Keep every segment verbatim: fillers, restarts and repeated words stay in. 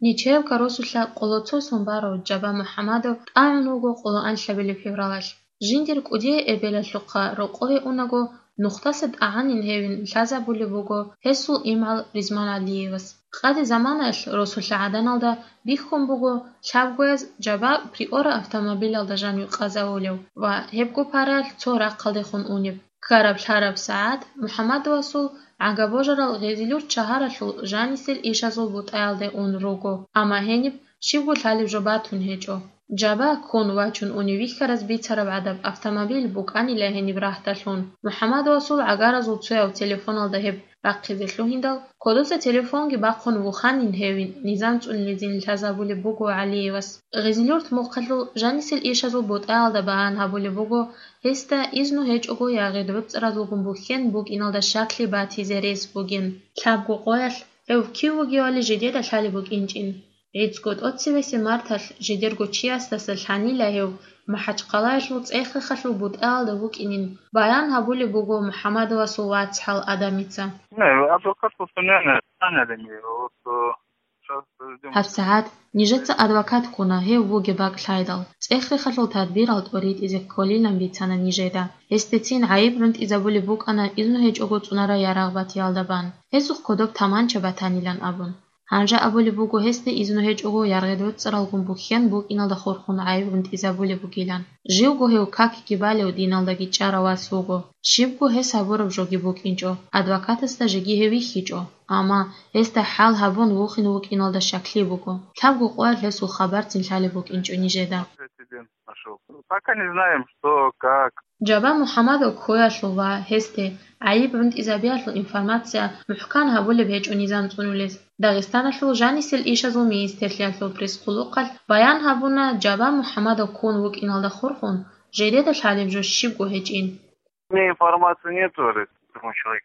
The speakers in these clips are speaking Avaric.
Нечаевка росулъа къоло цо сон барав Жаба МухӀамадов тӀагӀун вуго къоло анлъабилеб февралалъ. Жиндир кӀудияй эбелалъухъа рокъове унаго, нухдаса тӀагӀанин гьевин лъазабулеб буго гьесул имгӀал Ризман ГӀалиевас. Къаде заманаялъ росулъа гӀаданалда бихьун буго лъабгояз Жаба Приора автомобилалда жан вихъазавулев ва гьебго параялъ цо рахъалдехун унеб. Ккараб-лъараб сагӀат МухӀамадовасул гӀага-божарал Гъезилюрт шагьаралъул жанисел ишазул бутӀаялде ун руго, амма гьениб щибго лъалеб жо батун гьечӀо. Жаба ккун вачун унев вихьараз бицараб гӀадаб автомобиль букӀанила гьениб рагьдалъун. МухӀамадовасул гӀагаразул цояв телефоналда гьеб рахъизе лъугьиндал, кодоса телефонги бахъун вуханин гьевин, низам цӀунулезин лъазабулеб буго ГӀалиевас. Гъезилюрт мухъалъул жанисел ишазул бутӀаялда баян гьабулеб буго, гьесда изну гьечӀого ягъид-гӀуцӀразулгун бухьен букӀиналда щаклъи батизе рес бугин. Лъабго къоялъ гьев кив вугевали жидеда лъалеб букӀинчӀин. ГӀицӀго тӀоцебесеб марталъ жидерго чиясдаса лъанила гьев МахӀачхъалаялъул ЦӀехехалъул бутӀаялда вукӀинин баян гьабулеб буго МухӀамадовасул вацгӀал Адамица. Не, адвокат постоянно нанялен его, вот, э, щас ждём. ГьабсагӀат нижеца адвокат ккуна гьев вугеб бакӀ лъайдал. ЦӀехехалъул тадбирал тӀоритӀизе кколилан бицана нижеда. Гьесдецин гӀайиб гӀунтӀизабулеб букӀана изну гьечӀого цӀунарай ярагъ батиялда бан, гьесухъ кодоб таманча батанилан абун. Гьанже абулеб буго гьесда изну гьечӀого яргъид-гӀуцӀаралгун бухьен букӀиналда хурхун гӀайиб гӀунтӀизабулеб бугилан. Живго гьев какги балев диналдаги чӀарав вас вуго. Щибго гьес гьабураб жоги букӀинчӀо, адвокатасда жеги гьев вихьичӀо, амма гьесда хӀал гьабун вухин вукӀиналда щаклъи буго. Лъабго къоялъ гьесул хабарцин лъалеб букӀинчӀо нижеда. Прецедент нашёл. Пока не знаем, что, как. Жаба МухӀамадов ккоялъул ва гьесде гӀайиб гӀунтӀизабиялъул информация мухӀкан гьабулеб гьечӀо низам цӀунулез. Дагъистаналъул жанисел ишазул министрлъиялъул пресс-къулухъалъ баян гьабуна, Жаба МухӀамадов ккун вукӀиналда хурхун, жидеда лъалеб жо щибго гьечӀин. У меня информации нету, говорит, другой человек.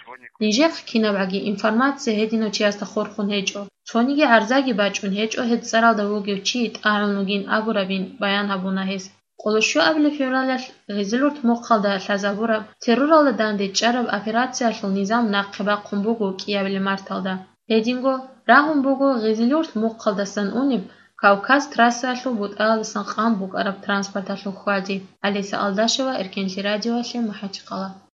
Сегодня. Нижехъ кинабгӀаги информация гьединав чиясда хурхун гьечӀо. Цониги гӀарзаги бачӀун гьечӀо гьеб цӀаралда вугев чи тӀагӀун вугин абурабин баян гьабуна гьес. Къоло щуабилеб февралалъ Гъизилурт мухъалда лъазабураб терроралда дандечӀараб операциялъул низам нахъе бахъун буго кӀиабилеб марталда. Гьединго рагьун буго Гъизилурт мухъалдасан унеб Кавказ трассаялъул бутӀаялдасан къан букӀараб транспорталъул хьвади. Алиса Алдашева, Эркенлъи радиоялъе, МахӀачхъала.